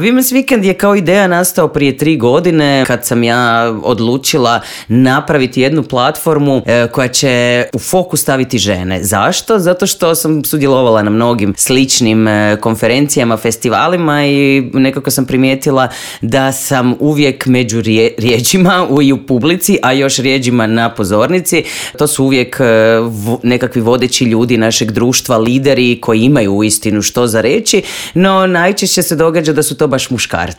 Women's Weekend je kao ideja nastao prije 3 godine kad sam ja odlučila napraviti jednu platformu koja će u fokus staviti žene. Zašto? Zato što sam sudjelovala na mnogim sličnim konferencijama, festivalima i nekako sam primijetila da sam uvijek među rijeđima i u publici, a još rijeđima na pozornici. To su uvijek nekakvi vodeći ljudi našeg društva, lideri koji imaju uistinu što za reći, no najčešće se događa da su to baš muškarci.